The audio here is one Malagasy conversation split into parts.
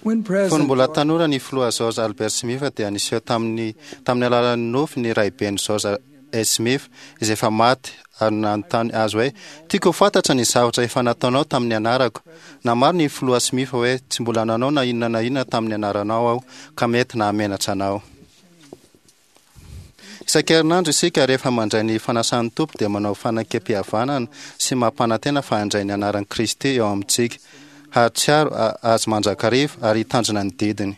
When Fony President mbola tanora ny filoha George Albert Smith dia niseho tamin'ny tamin'ny alalan'ny nofy ny raibeny George S. Smith izay efa maty ary nanontany azy hoe tiako ho fantatra ny zavatra efa nataonao tamin'ny anarako. Namaly ny filoha Smith hoe tsy mbola nanao na inona na inona tamin'ny anaranao aho ka mety nahamenatra anao. Isan-kerinandro isika rehefa mandray ny fanasan'ny Tompo dia manao fanekempihavanana sy mampanantena fa handray ny anaran'i Kristy eo amintsika, hahatsiaro Azy mandrakariva ary hitandrina ny didiny.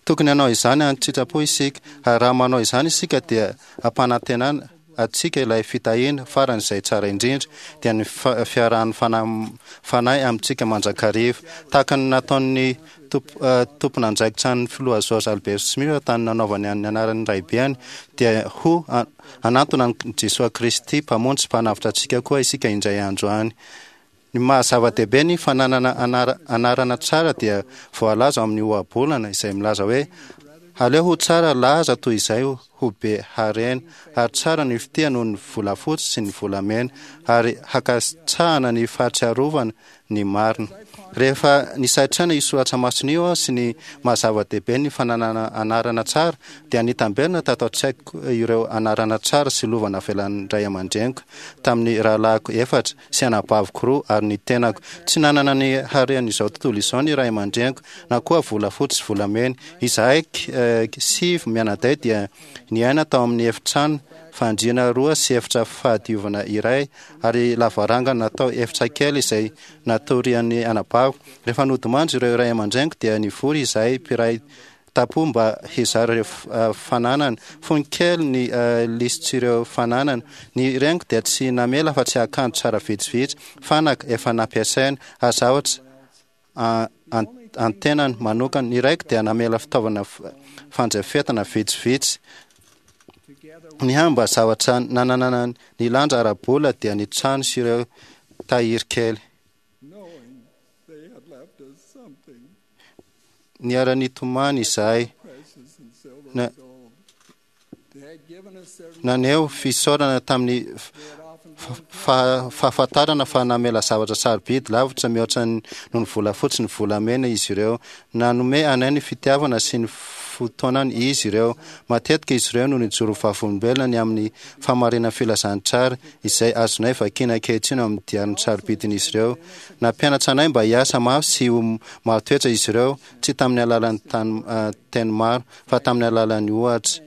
Tokony hanao izany an-tsitrapo isika, ary raha manao izany isika dia ampanantenana antsika ilay fitahiana farany izay tsara indrindra, dia ny fiarahan'ny Fanahy amintsika mandrakariva, tahaka ny nataon'ny tompon'andraikitra ny filoha George Albert Smith tany nanaovany ny anaran'ny raibeany, dia ho hanantona an'i Jesoa Kristy Mpamonjy sy Mpanavotra antsika koa isika indray andro any. Ny maha zava-dehibe ny fananana anarana tsara dia voalaza ao amin'ny ohabolana izay milaza hoe, Aleo ho tsara laza toy izay ho be harena, ary tsara ny fitia noho ny volafotsy sy ny volamena, ary hankasitrahana ny fahatsiarovana ny marina. Rehefa nisaintsaina io soratra masina io aho sy ny maha zava-dehibe ny fananana anarana tsara, dia nitamberina tato an-tsaiko ireo anarana tsara sy lova navelan'ny ray aman-dreniko tamin'ny rahalahiko efatra sy anabaviko roa ary ny tenako. Tsy nanana ny haren'izao tontolo izao ny ray aman-dreniko, na koa volafotsy sy volamena. Izahay sivy mianadahy dia niaina tao amin'ny efitrano fandriana roa sy efitra fahadiovana iray ary lavarangana natao efitra kely izay natorian'ny anabaviko. Rehefa nodimandry ireo ray aman-dreniko dia nivory izahay mpiray tampo mba hizara ireo fananana. Fony kely ny lisitr'ireo fananana. Ny reniko dia tsy namela afa-tsy akanjo tsara vitsivitsy, fanaka efa nampiasaina, ary zavatra an-tenany manokana. Ny raiko dia namela fitaovana fandrafetana vitsivitsy. Ny hany mba zavatra nananana ny lanja ara-bola dia ny trano sy ireo tahiry kely. Niara-nitomany izahay. Na, Naneho fisaorana tamin'ny fahafantarana fa namela zavatra sarobidy lavitra mihoatra noho ny volafotsy ny volamena izy ireo. Nanome anay ny fitiavana sy ny fotoanany izy ireo. Matetika izy ireo no nijoro vavolombelona ny amin'ny fahamarinan'ny filazantsara izay azonay vakiana ankehitriny ao amin'ny diariny sarobidin'izy ireo. Nampianatra anay mba hiasa mafy sy ho marin-toetra izy ireo, tsy tamin'ny alalan'ny teny maro, fa tamin'ny alalan'ny ohatra.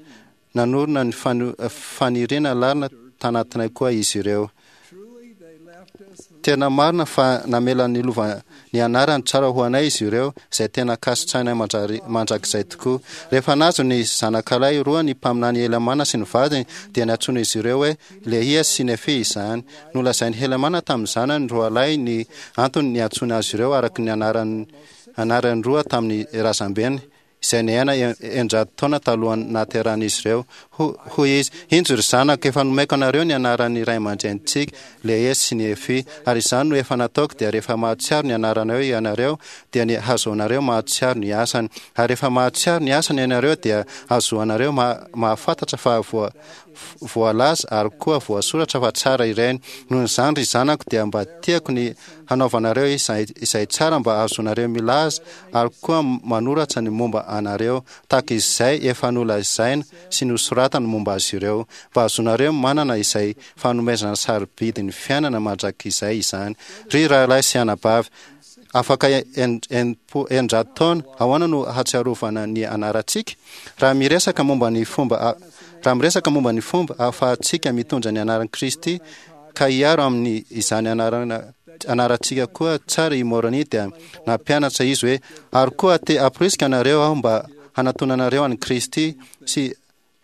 Nanorina ny faniriana lalina tanatinay koa izy ireo. Tena marina fa namela ny lova ny anarany tsara ho anay izy ireo, izay tena ankasitrahinay mandrakizay tokoa. Rehefa nahazo ny zanakalahy roa ny mpaminany Helamàna sy ny vadiny, dia nantsoin'izy ireo hoe Lehia sy Nefia izany. Nolazain'i Helamàna tamin'ny zanany roalahy ny antony niantsoany azy ireo araka ny anarany anarany roa tamin'ny razambeny, izay niaina 600 taona talohan'ny nahaterahan'izy ireo. Hoy izy, Injo, ry zanako, efa nomeko anareo ny anaran'ny ray aman-drenintsika, Lehia sy Nefia, ary izany no efa nataoko, dia rehefa mahatsiaro ny anaranareo ianareo, dia ny hahazoanareo mahatsiaro ny asany, ary rehefa mahatsiaro ny asany ianareo, dia hahazoanareo mahafantatra fa voalaza ary koa voasoratra fa tsara ireny. Noho izany, ry zanako, dia mba tiako ny hanaovanareo izay tsara mba hahazoanareo milaza ary koa manoratra ny momba anareo, tahaka izay efa nolazaina sy nosoratana momba azy ireo, mba hahazoanareo manana izay fanomezana sarobidy ny fiainana mandrakizay izany. Ry rahalahy sy anabavy, afaka 600 taona, ahoana no hahatsiarovana ny anarantsika? Raha miresaka momba ny fomba raha miresaka momba ny fomba ahafahantsika mitondra ny anaran'i Kristy ka hiaro amin'ny izany anarana anarantsika koa tsara i Moroni dia nampianatra izy hoe, Ary koa te hamporisika anareo aho mba hanatonanareo an'i Kristy sy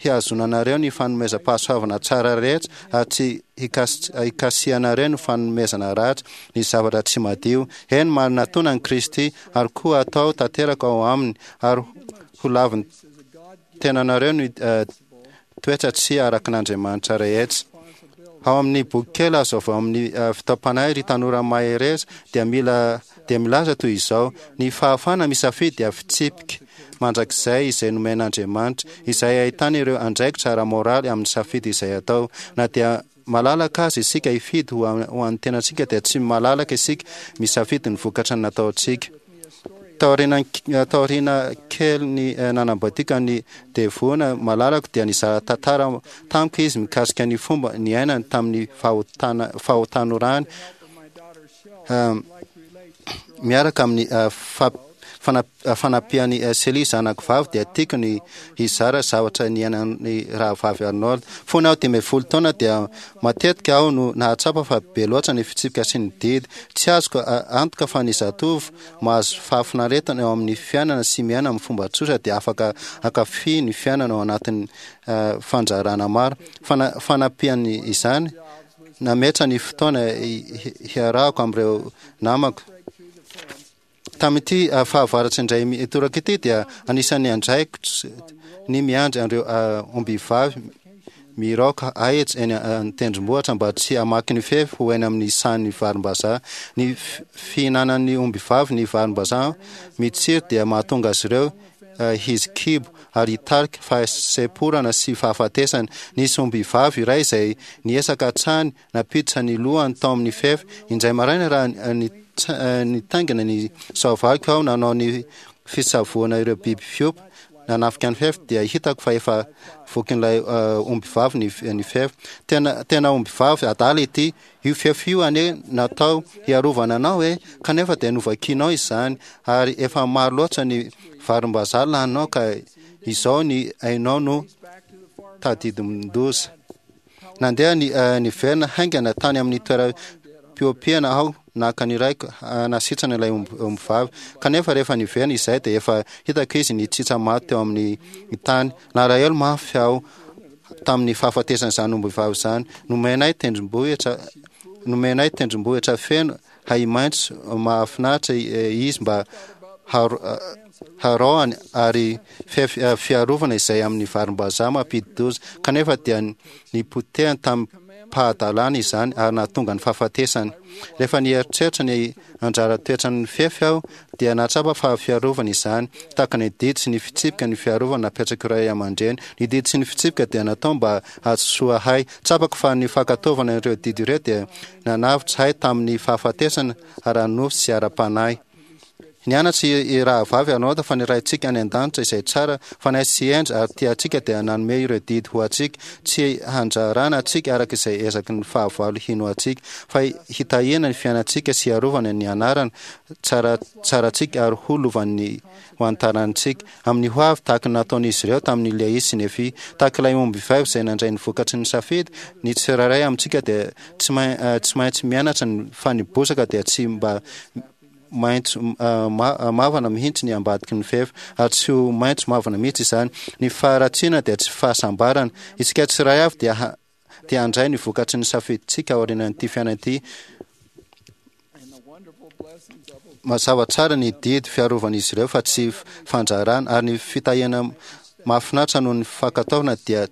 hihazonanareo ny fanomezam-pahasoavana tsara rehetra ary tsy hikasihanareo ny fanomezana ratsy, ny zavatra tsy madio. Eny, manatona an'i Kristy ary koa atao tanteraka ao Aminy ary ho lavin'ny tenanareo ny toetra tsy araka an'Andriamanitra rehetra. Ao amin'ny boky kely azo avy ao amin'ny fitaom-panahy Ry Tanora Mahereza dia mila dia milaza toy izao, Ny fahafahana misafidy dia fitsipika mandrakizay izay nomen'Andriamanitra, izay ahitana ireo andraikitra ara-moraly amin'ny safidy izay atao. Na dia malalaka aza isika hifidy ho an'ny tenantsika dia tsy malalaka isika misafidy ny vokatra nataontsika. Taoriana taoriana kelin'ny nanambadiako an'i Devona malalako dia nizara tantara tamiko izy mikasika ny fomba niainany tamin'ny fahotana fahatanorany miaraka amin'ny fanampian'i Celie zanako vavy dia tiako ny hizara zavatra niainan'ny rahavavy Arnold. Fony aho 15 taona dia matetika aho no nahatsapa fa be loatra ny fitsipika sy ny didy. Tsy azoko antoka fa ny zatovo mahazo fahafinaretana eo amin'ny fiainana sy miaina amin'ny fomba tsotra dia afaka hankafy ny fiainana ao anatin'ny fandraharahana maro. Fanampian'izany, nametra ny fotoana hiarahako amin'ireo namako. Tamin'ity fahavaratra indray mitoraka ity dia anisan'ny andraikitro ny miandry an'ireo ombivavy miraoka ahitra eny an-tendrombohitra mba tsy hamaky ny fefy ho eny amin'ny sahan'ny varimbazaha. Ny fihinanan'ny ombivavy ny varimbazaha mitsiry dia mahatonga azy ireo hizikibo ary hitarika fahasemporana sy fahafatesana. Nisy ombivavy iray izay niezaka hatrany nampiditra ny lohany tao amin'ny fefy. Indray maraina raha nitaingina ny soavaliko aho nanao ny fisavoana ireo biby fiompy nanafika ny fefy dia hitako fa efa vokin'ilay ombivavy ny fefy. Tena tena ombivavy adala ity. Io fefy io anie natao hiarovana anao e, kanefa dia novakianao izany ary efa maro loatra ny varimbazaha laninao ka izao ny ainao no tadidomin-doza. Nandeha niverina haingana tany amin'ny toeram-piompiana aho naka ny raiko hanasitrana ilay ombivavy. Kanefa rehefa niverina izahay dia efa hitako izy nitsitsa maty teo amin'ny tany. Nalahelo mafy aho tamin'ny fahafatesan'izany ombivavy izany. Nomenay tendrombohitra nomenay tendrombohitra feno ahi-maitso mahafinaritra izy mba haraohany ary fiarovana izay amin'ny varimbazaha mampidi-doza, kanefa dia nipotehany tamim-pahadalana izany ary nahatonga ny fahafatesany. Rehefa nieritreritra ny anjara toetran'ny fefy aho, dia nahatsapa fa fiarovana izany, tahaka ny didy sy ny fitsipika ny fiarovana napetrak'ireo ray aman-dreny. Ny didy sy ny fitsipika dia natao mba hahasoa ahy. Tsapako fa ny fankatoavana ireo didy ireo dia nanavotra ahy tamin'ny fahafatesana ara-nofo sy ara-panahy. Nianatra i Rahavavy Arnold fa ny Raintsika any An-danitra izay tsara fanahy sy hendry ary tia antsika dia nanome ireo didy ho antsika, tsy handrarana antsika araka izay ezaky ny fahavalo hino antsika, fa hitahiana ny fiainantsika sy hiarovana ny anarana tsara tsarantsika ary ho lovan'ny ho an'ny tarantsika amin'ny ho avy, tahaka ny nataon'izy ireo tamin'i Lehia sy Nefia. Tahaka ilay ombivavy izay nandray ny vokatry ny safidy, ny tsirairay amintsika dia tsy maintsy mianatra ny fa ny bozaka dia tsy mba maitso mavana mihitsy ny ambadiky ny fefy, ary tsy ho maitso mavana mihitsy izany. Ny faharatsiana dia tsy fahasambarana. Isika tsiray avy dia dia handray ny vokatry ny safidintsika aorianan'ity fiainana ity. Mazava tsara ny didy fiarovan'izy ireo fa tsy fandrarana, ary ny fitahiana mahafinaritra noho ny fankatoavana dia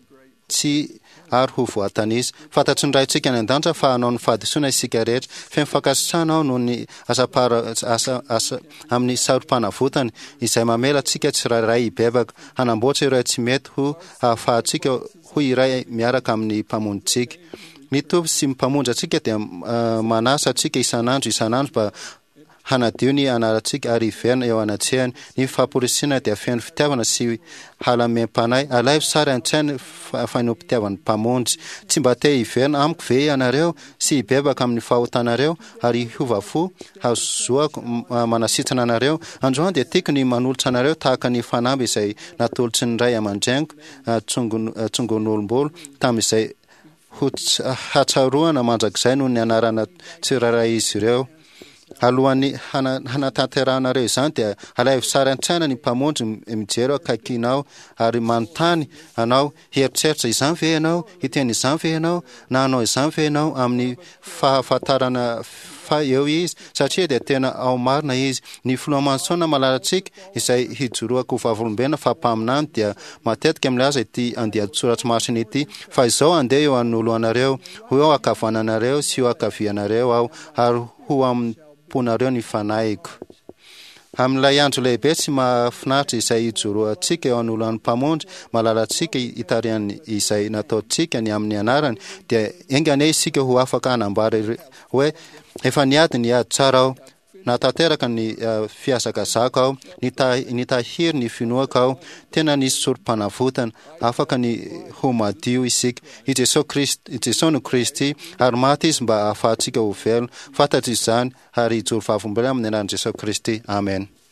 tsy ary ho voatanisa. Fantatry ny Raintsika any An-danitra fa hanao ny fahadisoana isika rehetra. Feno fankasitrahana aho noho ny asam-pahara, asa, asa, amin'ny sarom-panavotany, izay mamela antsika tsirairay hibebaka, hanamboatra ireo tsy mety ho hahafahantsika ho iray miaraka amin'ny Mpamonjintsika. Ny Tompo sy ny Mpamonjy antsika dia manasa antsika isan'andro isan'andro mba hanadio ny anarantsika ary hiverina eo anatrehany. Ny famporisihana dia feno fitiavana sy halamem-panahy. Alaivo sary an-tsaina ny fanehoam-pitiavan'ny Mpamonjy. Tsy mba te hiverina amiko ve ianareo sy hibebaka amin'ny fahotanareo ary hiova fo hahazoako manasitrana anareo? Androany dia tiako ny manolotra anareo tahaka ny fanamby izay natolotry ny ray aman-dreniko tsongon'olom-bolo tamin'izay ho hatsaroana mandrakizay noho ny anarana tsirairay izy ireo. Alohan'ny hanatanterahanareo izany dia alaivo sary an-tsaina ny Mpamonjy mijery akaikinao ary manontany anao, Hieritreritra izany ve ianao? Hiteny izany ve ianao? Na hanao izany ve ianao amin'ny fahafantarana fa eo Izy? Satria dia tena ao marina Izy. Ny Filoha Manson malalantsika, izay hijoroako ho vavolombelona fa mpaminany, dia matetika milaza ity andian-tsoratry masina ity, Fa izao handeha eo anoloanareo, ho eo ankavananareo sy eo ankavianareo Aho, ary ho am-ponareo ny Fanahiko. Amin'ilay andro lehibe sy mahafinaritra izay hijoroantsika eo anoloan'ny Mpamonjy malalantsika hitarihany izay nataontsika ny amin'ny anarany, dia enga anie isika ho afaka hanambara hoe, Efa niady ny ady tsara aho. Nahatanteraka ny fihazakazahako aho, nitahiry ny finoako aho. Tena nisy sorom-panavotana. Afaka ny ho madio isika. I Jesoa Kristy, Jesoa no Kristy, ary maty Izy mba hahafahantsika ho velona. Fantatro izany, ary hijoro vavolombelona amin'ny anaran'i Jesoa Kristy. Amena.